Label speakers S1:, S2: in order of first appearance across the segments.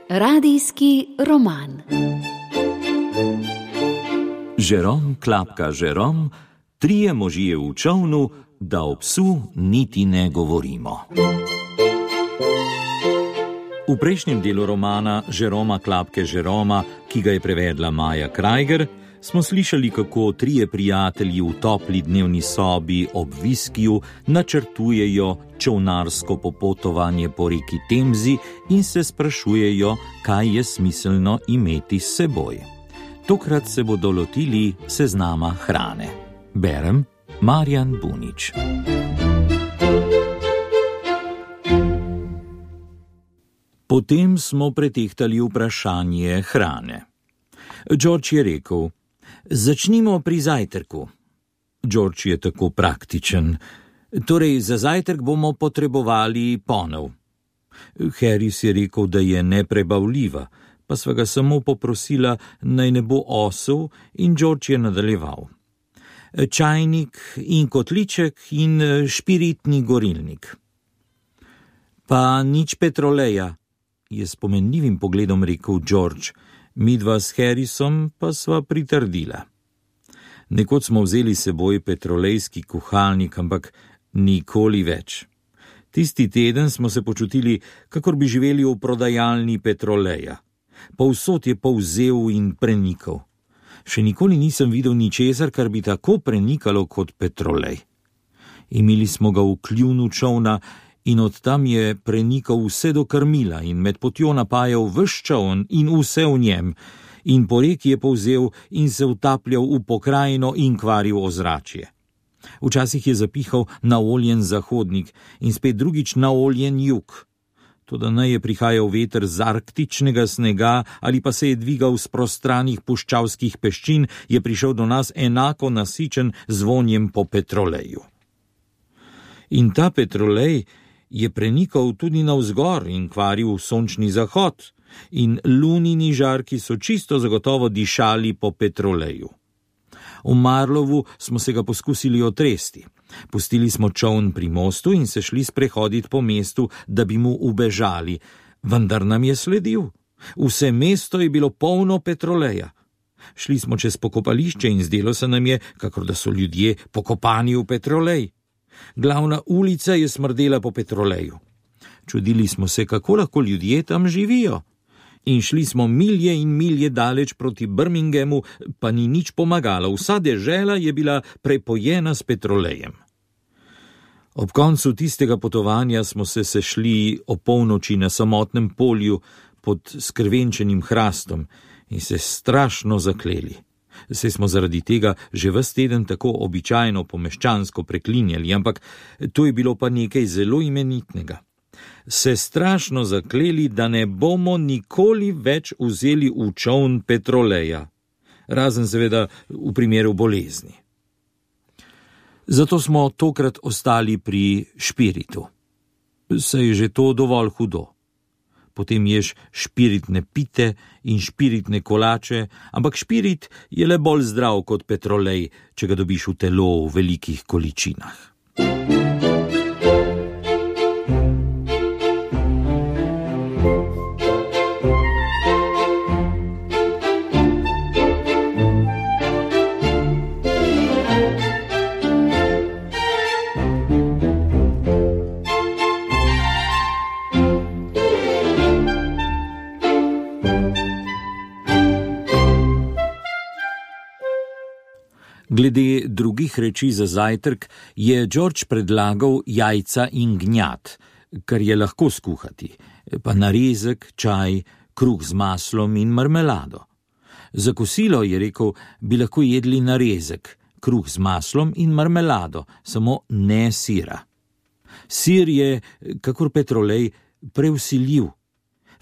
S1: Radijski roman.
S2: Žerom klapka Žerom, trije možje v čolnu, da o psu niti ne govorimo. V prejšnjem delu romana Žeroma klapke Žeroma, ki ga je prevedla Maja Krajger, smo slišali, kako trije prijatelji v topli dnevni sobi ob viskiju načrtujejo čolnarsko popotovanje po reki Temzi in se sprašujejo, kaj je smiselno imeti s seboj. Tokrat se bodo lotili seznama hrane. Berem Marjan Bunič. Potem smo pretehtali vprašanje hrane. George je rekel: začnimo pri zajtrku. George je tako praktičen. Torej, za zajtrk bomo potrebovali ponev. Harris je rekel, da je neprebavljiva, pa sva ga samo poprosila, naj ne bo osel, in George je nadaljeval. Čajnik in kotliček in špiritni gorilnik. Pa nič petroleja, je s pomenljivim pogledom rekel George. Midva s Harrisom pa sva pritrdila. Nekoč smo vzeli seboj petrolejski kuhalnik, ampak nikoli več. Tisti teden smo se počutili, kakor bi živeli v prodajalni petroleja. Povsod je povzel in prenikal. Še nikoli nisem videl ničesar, kar bi tako prenikalo kot petrolej. Imeli smo ga v kljunu čolna in od tam je prenikal vse do krmila in med potjo napajal ves čoln in vse v njem, in po reki je povzel in se utapljal v pokrajino in kvaril ozračje. Včasih je zapihal naoljen zahodnik in spet drugič naoljen jug. Toda naj je prihajal veter z arktičnega snega ali pa se je dvigal z prostranih puščavskih peščin, je prišel do nas enako nasičen z vonjem po petroleju. In ta petrolej je prenikal tudi navzgor in kvaril sončni zahod, in lunini žarki so čisto zagotovo dišali po petroleju. V Marlovu smo se ga poskusili otresti. Pustili smo čoln pri mostu in se šli sprehoditi po mestu, da bi mu ubežali, vendar nam je sledil. Vse mesto je bilo polno petroleja. Šli smo čez pokopališče in zdelo se nam je, kakor da so ljudje pokopani v petrolej. Glavna ulica je smrdela po petroleju. Čudili smo se, kako lahko ljudje tam živijo. In šli smo milje in milje daleč proti Birminghamu, pa ni nič pomagalo. Vsa dežela je bila prepojena s petrolejem. Ob koncu tistega potovanja smo se sešli o polnoči na samotnem polju pod skrvenčenim hrastom in se strašno zakleli. Saj smo zaradi tega že ves teden tako običajno pomeščansko preklinjali, ampak to je bilo pa nekaj zelo imenitnega. Se strašno zakleli, da ne bomo nikoli več vzeli v čoln petroleja, razen seveda v primeru bolezni. Zato smo tokrat ostali pri špiritu. Saj je že to dovolj hudo. Potem ješ špiritne pite in špiritne kolače, ampak špirit je le bolj zdrav kot petrolej, če ga dobiš v telo v velikih količinah. Glede drugih reči za zajtrk je George predlagal jajca in gnjat, kar je lahko skuhati, pa narezek, čaj, kruh z maslom in marmelado. Za kosilo, je rekel, bi lahko jedli narezek, kruh z maslom in marmelado, samo ne sira. Sir je, kakor petrolej, prevsiljiv.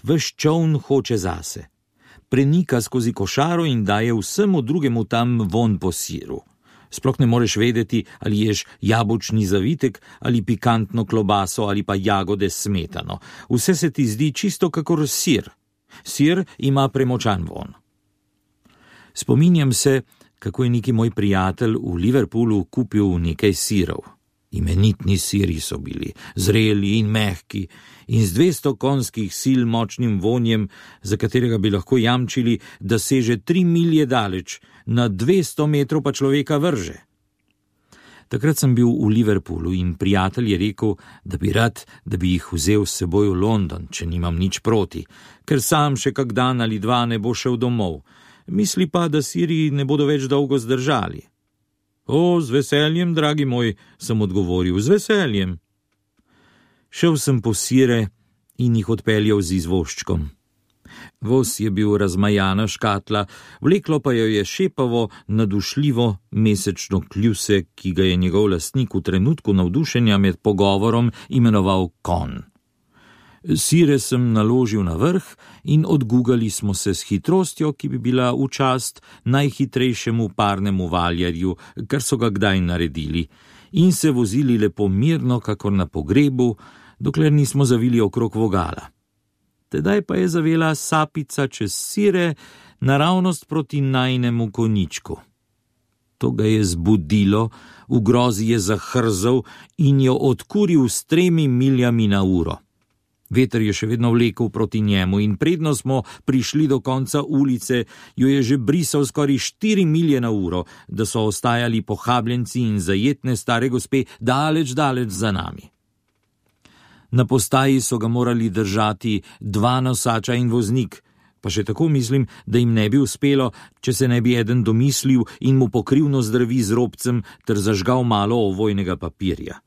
S2: Ves čoln hoče zase. Prenika skozi košaro in daje vsemu drugemu tam vonj po siru. Sploh ne moreš vedeti, ali ješ jabolčni zavitek ali pikantno klobaso ali pa jagode s smetano. Vse se ti zdi čisto kakor sir. Sir ima premočan vonj. Spominjam se, kako je neki moj prijatelj v Liverpoolu kupil nekaj sirov. Imenitni siri so bili, zreli in mehki, in z 200 konjskih sil močnim vonjem, za katerega bi lahko jamčili, da seže 3 milje daleč, na 200 metrov pa človeka vrže. Takrat sem bil v Liverpoolu in prijatelj je rekel, da bi rad, da bi jih vzel s seboj v London, če nimam nič proti, ker sam še kak dan ali dva ne bo šel domov. Misli pa, da siri ne bodo več dolgo zdržali. O, z veseljem, dragi moj, sem odgovoril, z veseljem. Šel sem po sire in jih odpeljal z izvoščkom. Voz je bil razmajana škatla, vleklo pa jo je šepavo, nadušljivo mesečno kljuse, ki ga je njegov lastnik v trenutku navdušenja med pogovorom imenoval konj. Sire sem naložil na vrh in odgugali smo se s hitrostjo, ki bi bila v čast najhitrejšemu parnemu valjarju, kar so ga kdaj naredili, in se vozili lepo mirno, kakor na pogrebu, dokler nismo zavili okrog vogala. Tedaj pa je zavela sapica čez sire naravnost proti najnemu konjičku. To ga je zbudilo, v grozi je zahrzel in jo odkuril s 3 miljami na uro. Veter je še vedno vlekel proti njemu in predno smo prišli do konca ulice, jo je že brisal skoraj 4 milje na uro, da so ostajali pohabljenci in zajetne stare gospe daleč za nami. Na postaji so ga morali držati 2 nosača in voznik, pa še tako mislim, da jim ne bi uspelo, če se ne bi eden domislil in mu pokrivno zdravi z robcem ter zažgal malo ovojnega papirja.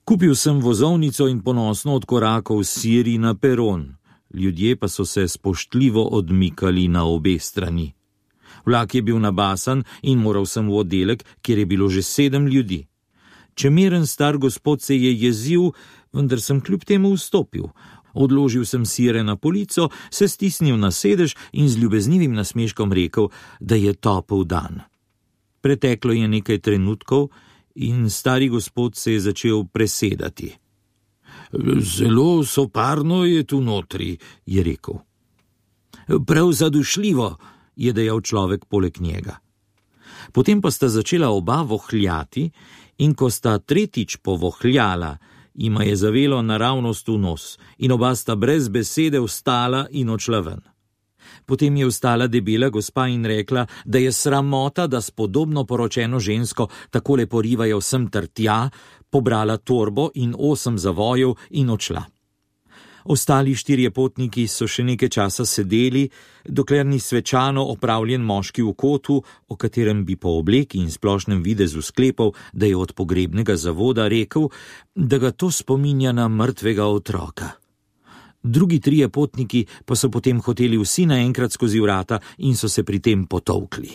S2: Kupil sem vozovnico in ponosno odkorakal siri na peron, ljudje pa so se spoštljivo odmikali na obe strani. Vlak je bil nabasan in moral sem v oddelek, kjer je bilo že 7 ljudi. Čemeren star gospod se je jezil, vendar sem kljub temu vstopil. Odložil sem sire na polico, se stisnil na sedež in z ljubeznivim nasmeškom rekel, da je topel dan. Preteklo je nekaj trenutkov in stari gospod se je začel presedati. Zelo soparno je tu notri, je rekel. Prav zadušljivo, je dejal človek poleg njega. Potem pa sta začela oba vohljati in ko sta tretjič povohljala, jima je zavelo naravnost v nos in oba sta brez besede vstala in odšla ven. Potem je vstala debela gospa in rekla, da je sramota, da s podobno poročeno žensko takole porivajo sem ter tja, pobrala torbo in 8 zavojev in odšla. Ostali 4 potniki so še nekaj časa sedeli, dokler ni svečano opravljen moški v kotu, o katerem bi po obleki in splošnem videzu sklepal, da je od pogrebnega zavoda, rekel, da ga to spominja na mrtvega otroka. Drugi 3 potniki pa so potem hoteli vsi naenkrat skozi vrata in so se pri tem potolkli.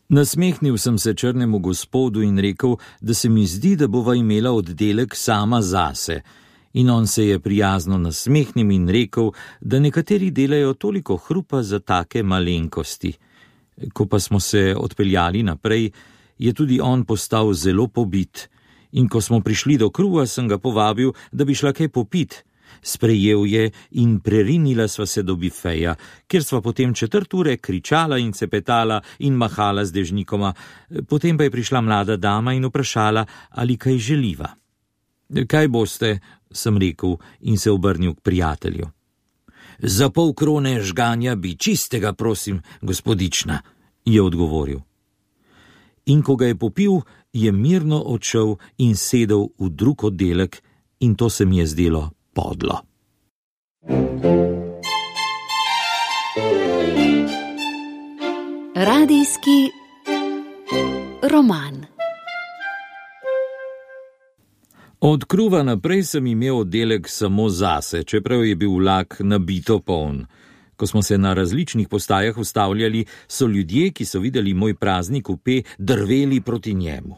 S2: Nasmehnil sem se črnemu gospodu in rekel, da se mi zdi, da bova imela oddelek sama zase. In on se je prijazno nasmehnil in rekel, da nekateri delajo toliko hrupa za take malenkosti. Ko pa smo se odpeljali naprej, je tudi on postal zelo pobit. In ko smo prišli do kruha, sem ga povabil, da bi šla kaj popit. Sprejel je in prerinila sva se do bifeja, kjer sva potem 4 ure kričala in cepetala in mahala z dežnikoma. Potem pa je prišla mlada dama in vprašala, ali kaj želiva. Kaj boste, sem rekel in se obrnil k prijatelju. Za 0,5 krone žganja bi čistega, prosim, gospodična, je odgovoril. In ko ga je popil, je mirno odšel in sedel v drug oddelek in to se mi je zdelo podlo.
S1: Radijski roman.
S2: Od kruha naprej sem imel oddelek samo zase, čeprav je bil vlak nabito poln. Ko smo se na različnih postajah ustavljali, so ljudje, ki so videli moj prazni kupe, drveli proti njemu.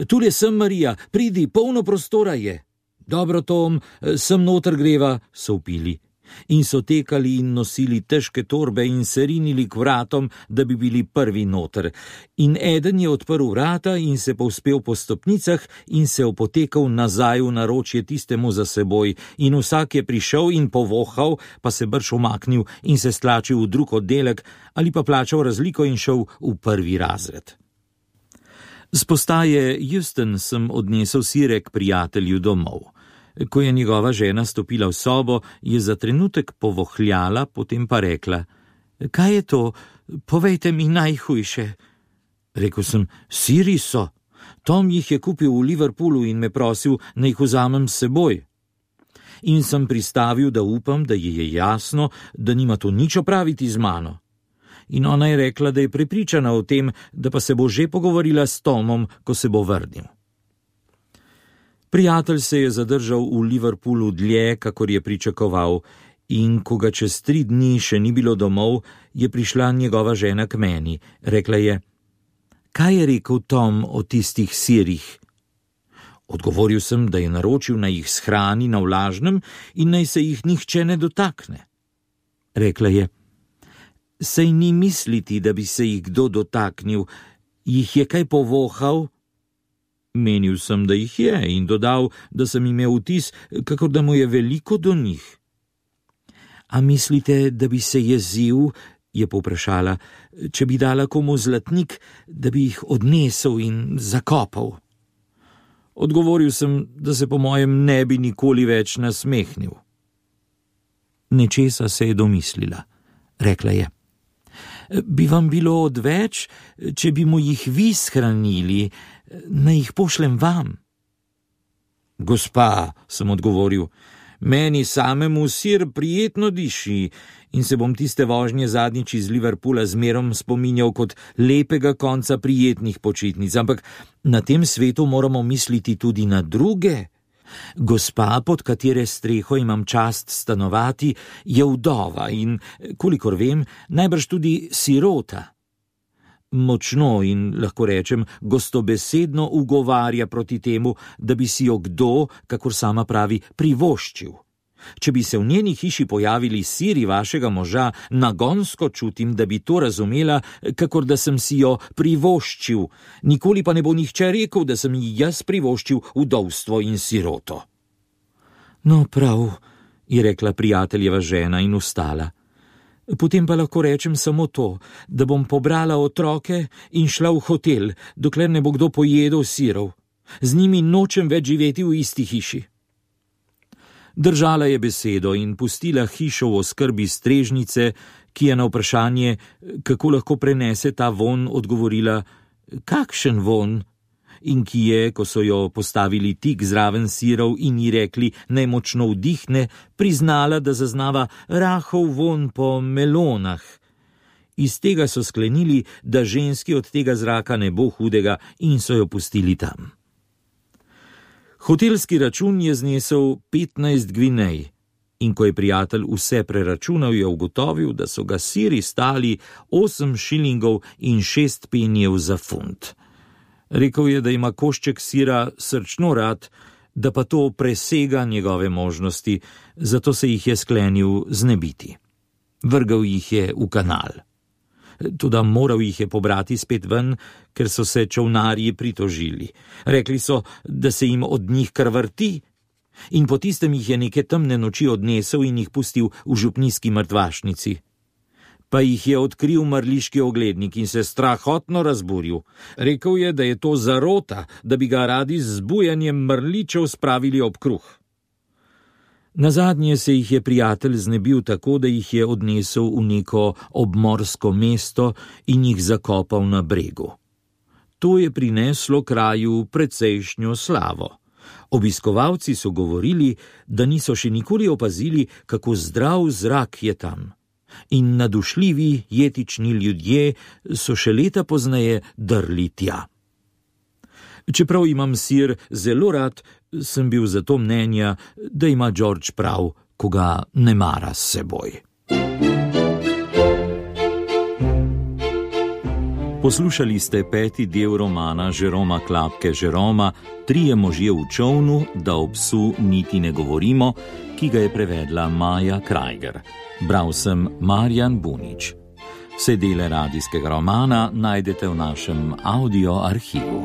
S2: Tule sem, Marija, pridi, polno prostora je. Dobro, Tom, sem noter greva, so vpili. In so tekali in nosili težke torbe in se rinili k vratom, da bi bili prvi noter. In eden je odprl vrata in se povzpel po stopnicah in se opotekal nazaj v naročje tistemu za seboj. In vsak je prišel in povohal, pa se brž umaknil in se stlačil v drug oddelek ali pa plačal razliko in šel v prvi razred. Z postaje Houston sem odnesel sirek prijatelju domov. Ko je njegova žena stopila v sobo, je za trenutek povohljala, potem pa rekla: Kaj je to? Povejte mi najhujše. Rekel sem: Siri so. Tom jih je kupil v Liverpoolu in me prosil, naj jih vzamem s seboj. In sem pristavil, da upam, da ji je jasno, da nima to nič opraviti z mano. In ona je rekla, da je prepričana o tem, da pa se bo že pogovorila s Tomom, ko se bo vrnil. Prijatelj se je zadržal v Liverpoolu dlje, kakor je pričakoval, in ko ga čez 3 dni še ni bilo domov, je prišla njegova žena k meni. Rekla je: Kaj je rekel Tom o tistih sirih? Odgovoril sem, da je naročil, naj jih shrani na vlažnem in naj se jih nihče ne dotakne. Rekla je: Sej ni misliti, da bi se jih kdo dotaknil, jih je kaj povohal? Menil sem, da jih je, in dodal, da sem imel vtis, kakor da mu je veliko do njih. A mislite, da bi se jezil, je povprašala, če bi dala komu zlatnik, da bi jih odnesel in zakopal? Odgovoril sem, da se po mojem ne bi nikoli več nasmehnil. Nečesa se je domislila. Rekla je: Bi vam bilo odveč, če bi mu jih vi shranili, naj jih pošljem vam? Gospa, sem odgovoril, meni samemu sir prijetno diši in se bom tiste vožnje zadnjič iz Liverpoola zmerom spominjal kot lepega konca prijetnih počitnic, ampak na tem svetu moramo misliti tudi na druge. Gospa, pod katere streho imam čast stanovati, je vdova in, kolikor vem, najbrž tudi sirota. Močno in, lahko rečem, gostobesedno ugovarja proti temu, da bi si jo kdo, kakor sama pravi, privoščil. Če bi se v njeni hiši pojavili siri vašega moža, nagonsko čutim, da bi to razumela, kakor da sem si jo privoščil. Nikoli pa ne bo nihče rekel, da sem ji jaz privoščil vdovstvo in siroto. No, prav, je rekla prijateljeva žena in vstala. Potem pa lahko rečem samo to, da bom pobrala otroke in šla v hotel, dokler ne bo kdo pojedel sirov. Z njimi nočem več živeti v isti hiši. Držala je besedo in pustila hišo v oskrbi strežnice, ki je na vprašanje, kako lahko prenese ta vonj, odgovorila: Kakšen vonj? In ki je, ko so jo postavili tik zraven sirov in ji rekli, naj močno vdihne, priznala, da zaznava rahel vonj po melonah. Iz tega so sklenili, da ženski od tega zraka ne bo hudega, in so jo pustili tam. Hotelski račun je znesel 15 gvinej in ko je prijatelj vse preračunal, je ugotovil, da so ga siri stali 8 šilingov in 6 penijev za funt. Rekel je, da ima košček sira srčno rad, da pa to presega njegove možnosti, zato se jih je sklenil znebiti. Vrgel jih je v kanal. Toda moral jih je pobrati spet ven, ker so se čolnarji pritožili. Rekli so, da se jim od njih kar vrti, in po tistem jih je neke temne noči odnesel in jih pustil v župnijski mrtvašnici. Pa jih je odkril mrliški oglednik in se strahotno razburil. Rekel je, da je to zarota, da bi ga radi z zbujanjem mrličev spravili ob kruh. Nazadnje se jih je prijatelj znebil tako, da jih je odnesel v neko obmorsko mesto in jih zakopal na bregu. To je prineslo kraju precejšnjo slavo. Obiskovalci so govorili, da niso še nikoli opazili, kako zdrav zrak je tam. In nadušljivi jetični ljudje so še leta pozneje drli tja. Čeprav imam sir zelo rad, sem bil zato mnenja, da ima George prav, ko ga ne mara s seboj. Poslušali ste 5. del romana Jeroma Klapke Jeroma Trije možje v čovnu, da o psu niti ne govorimo, ki ga je prevedla Maja Krajger. Bral sem Marjan Bunič. Vse dele radijskega romana najdete v našem audio arhivu.